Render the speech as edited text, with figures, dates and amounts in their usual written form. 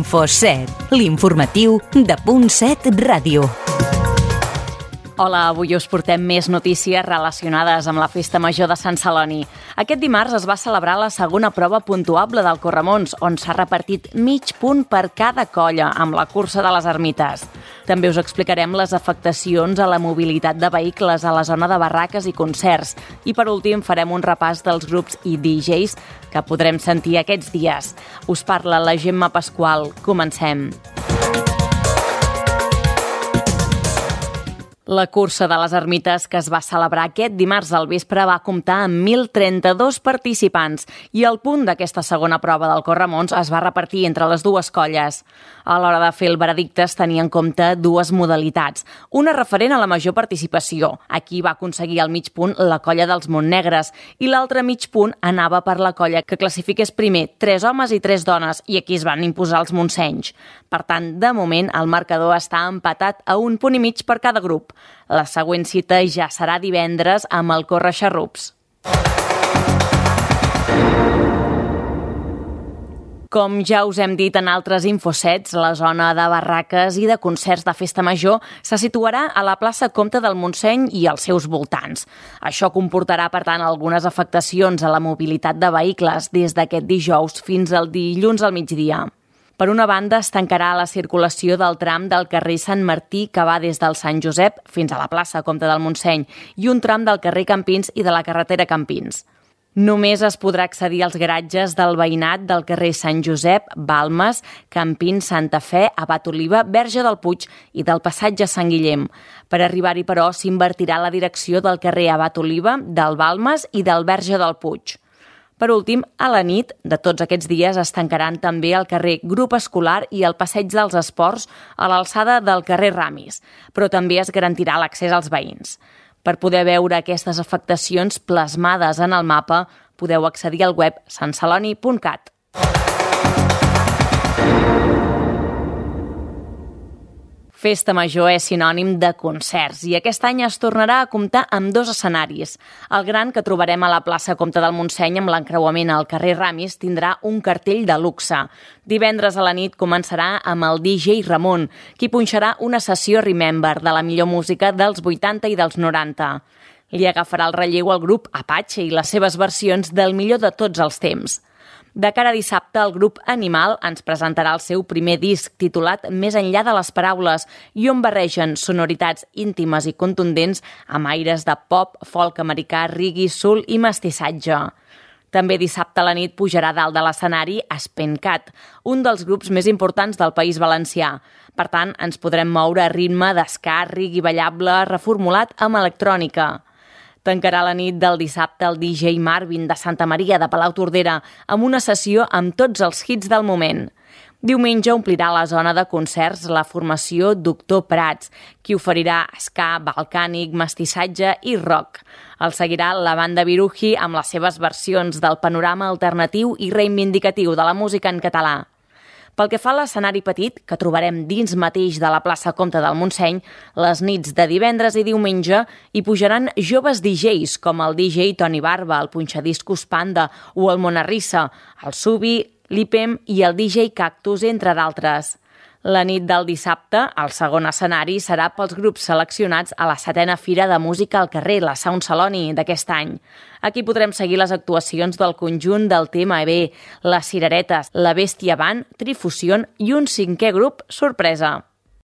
Info7, l'informatiu de Punt 7 Ràdio. Hola, avui us portem més notícies relacionades amb la Festa Major de Sant Celoni. Aquest dimarts es va celebrar la segona prova puntuable del Corremons, on s'ha repartit mig punt per cada colla amb la cursa de les ermites. També us explicarem les afectacions a la mobilitat de vehicles a la zona de barraques i concerts. I per últim farem un repàs dels grups i DJs que podrem sentir aquests dies. Us parla la Gemma Pasqual. Comencem. La cursa de les ermites que es va celebrar aquest dimarts al vespre va comptar amb 1.032 participants i el punt d'aquesta segona prova del Corremons es va repartir entre les dues colles. A l'hora de fer el veredicte es tenia en compte dues modalitats. Una referent a la major participació. Aquí va aconseguir el mig punt la colla dels Montnegres i l'altre mig punt anava per la colla que classifiqués primer 3 homes i 3 dones i aquí es van imposar els monsenys. Per tant, de moment, el marcador està empatat a 1 punt i mig per cada grup. La següent cita ja serà divendres amb el Corre-xarrups. Com ja us hem dit en altres Infosets, la zona de barraques i de concerts de Festa Major se situarà a la plaça Comte del Montseny i als seus voltants. Això comportarà, per tant, algunes afectacions a la mobilitat de vehicles des d'aquest dijous fins al dilluns al migdia. Per una banda, es tancarà la circulació del tram del carrer Sant Martí que va des del Sant Josep fins a la plaça Comte del Montseny i un tram del carrer Campins i de la carretera Campins. Només es podrà accedir als garatges del veïnat del carrer Sant Josep, Balmes, Campins, Santa Fe, Abat Oliva, Verge del Puig i del passatge Sant Guillem. Per arribar-hi, però, s'invertirà la direcció del carrer Abat Oliva, del Balmes i del Verge del Puig. Per últim, a la nit de tots aquests dies es tancaran també el carrer Grup Escolar i el Passeig dels Esports a l'alçada del carrer Ramis, però també es garantirà l'accés als veïns. Per poder veure aquestes afectacions plasmades en el mapa, podeu accedir al web santceloni.cat. Festa Major és sinònim de concerts i aquest any es tornarà a comptar amb 2 escenaris. El gran, que trobarem a la plaça Comte del Montseny amb l'encreuament al carrer Ramis, tindrà un cartell de luxe. Divendres a la nit començarà amb el DJ Ramon, qui punxarà una sessió Remember de la millor música dels 80 i dels 90. Li agafarà el relleu al grup Apache i les seves versions del millor de tots els temps. De cara a dissabte, el grup Animal ens presentarà el seu primer disc titulat Més enllà de les paraules i on barregen sonoritats íntimes i contundents amb aires de pop, folk americà, reggae, soul i mestissatge. També dissabte a la nit pujarà dalt de l'escenari Spencat, un dels grups més importants del País Valencià. Per tant, ens podrem moure a ritme d'esca, reggae ballable reformulat amb electrònica. Tancarà la nit del dissabte el DJ Marvin de Santa Maria de Palautordera amb una sessió amb tots els hits del moment. Diumenge omplirà la zona de concerts la formació Doctor Prats, qui oferirà ska, balcànic, mestissatge i rock. El seguirà la banda Viruji amb les seves versions del panorama alternatiu i reivindicatiu de la música en català. Pel que fa a l'escenari petit, que trobarem dins mateix de la plaça Comte del Montseny, les nits de divendres i diumenge hi pujaran joves DJs com el DJ Toni Barba, el punxadiscos Panda o el Monarrissa, el Subi, l'Ipem i el DJ Cactus, entre d'altres. La nit del dissabte, el segon escenari serà pels grups seleccionats a la 7a Fira de Música al carrer, la Sound Celoni, d'aquest any. Aquí podrem seguir les actuacions del conjunt del TMB, les Cireretes, la Bèstia Band, Trifusió i un 5è grup sorpresa.